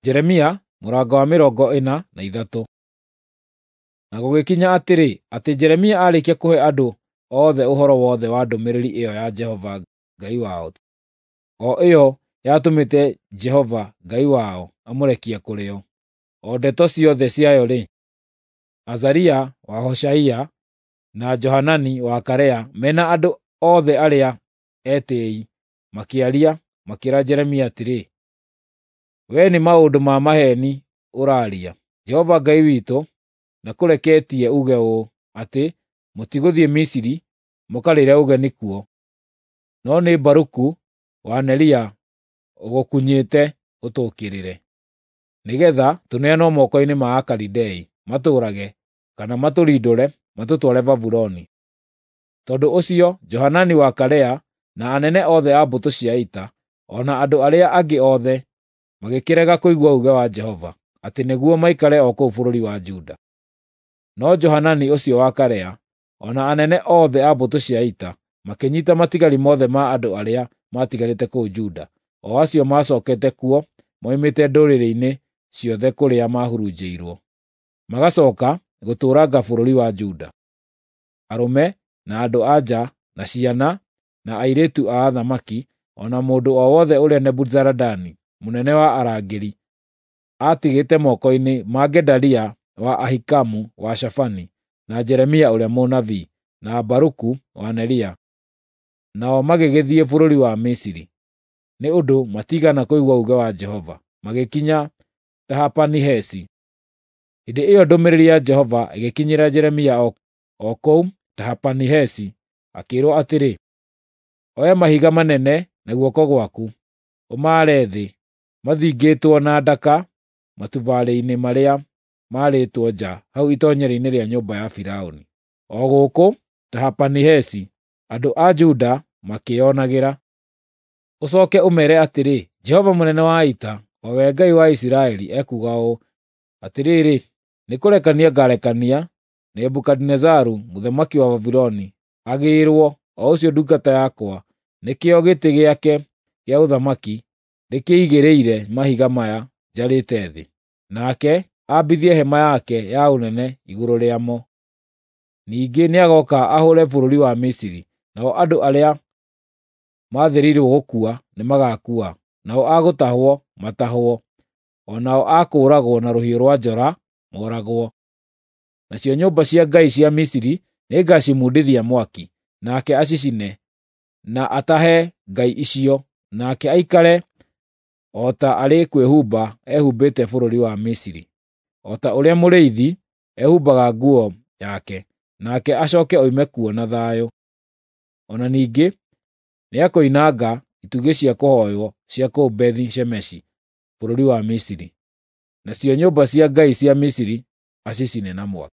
Jeremia mũrango wa 43. Na gũgĩkinya atĩrĩ, atĩ Jeremia aarĩkia kũhe andũ othe ũhoro wothe wa ndũmĩrĩri ĩyo ya Jehova Ngai wao, o ĩyo yatũmĩte Jehova Ngai wao amũrekie kũrĩ o, o ndeto ciothe ciayo-rĩ, Azaria wa Hoshaia na Johanani wa Karea mena andũ othe arĩa etĩĩi makĩaria, makĩĩra Jeremia atĩrĩ, “Wee nĩ maũndũ ma maheeni ũraaria. Jehova Ngai witũ ndakũreketie uuge ũũ, atĩ mũtigũthiĩ Misiri mũkarĩĩre ũgeni kuo. No nĩ Baruku wa Neria ũgũkunyĩte ũtũũkĩrĩre, nĩgeetha tũneanwo moko-inĩ ma Akalidei matũũrage kana matũrindũre matũtware Babuloni.” Tondũ ũcio Johanani wa Karea na anene othe a mbũtũ cia ita, o na andũ arĩa angĩ othe, magĩkĩrega kũigua uuge wa Jehova, atĩ nĩguo maikare o kũu bũrũri wa Juda. No Johanani ũcio wa Karea, o na anene othe a mbũtũ cia ita, makĩnyiita matigari mothe ma andũ arĩa maatigarĩte kũu Juda, o acio maacookete kuo moimĩte ndũrĩrĩ-inĩ ciothe kũrĩa maahurunjĩirwo, magacooka gũtũũranga bũrũri wa Juda. Arũme, na andũ-a-nja, na ciana, na airĩtu a athamaki, o na mũndũ o wothe ũrĩa Nebuzaradani mũnene wa arangĩri aatigĩte moko-inĩ ma Gedalia wa Ahikamu wa Shafani, na Jeremia ũrĩa mũnabii, na Baruku wa Neria. Nao magĩgĩthiĩ bũrũri wa Misiri, nĩ ũndũ matiigana kũigua uuge wa Jehova, magĩkinya Tahapanihesi. Hĩndĩ ĩyo ndũmĩrĩri ya Jehova ĩgĩkinyĩra Jeremia o kũu Tahapanihesi, akĩĩrwo atĩrĩ, “Oya mahiga manene na guoko gwaku, ũmaare thĩ, mathingĩtwo na ndaka matubarĩ-inĩ marĩa maarĩtwo nja hau itoonyero-inĩ rĩa nyũmba ya Firaũni, o gũkũ Tahapanihesi, andũ a Juda makĩĩonagĩra. Ũcooke ũmeere atĩrĩ, Jehova mũnene wa ita, o we Ngai wa Isiraeli, ekuuga ũũ: Atĩrĩrĩ, nĩkũrekania ngaarekania Nebukadinezaru mũthamaki wa Babuloni agĩĩrwo, o ũcio ndungata yakwa, nĩkĩo gĩtĩ gĩake kĩa ũthamaki ndĩkĩigĩrĩire mahiga maya njarĩte thĩ, nake ambithie hema yake ya ũnene igũrũ rĩamo. Ningĩ nĩagooka ahũũre bũrũri wa Misiri, nao andũ arĩa maathĩrĩirwo gũkua nĩmagakua, nao a gũtahwo matahwo, o nao a kũũragwo na rũhiũ rwa njora mooragwo. Nacio nyũmba cia ngai cia Misiri nĩngacimundithia mwaki, nake acicine, na atahe ngai icio, nake aikare o ta arĩ kwĩhumba ehumbĩte bũrũri wa Misiri, o ta ũrĩa mũrĩithi ehumbaga nguo yake, nake acooke oime kuo na thayũ. O na ningĩ nĩakoinanga itugĩ cia kũhooywo cia kũu Bethi-Shemeshi bũrũri wa Misiri, nacio nyũmba cia ngai cia Misiri acicine na mwaki.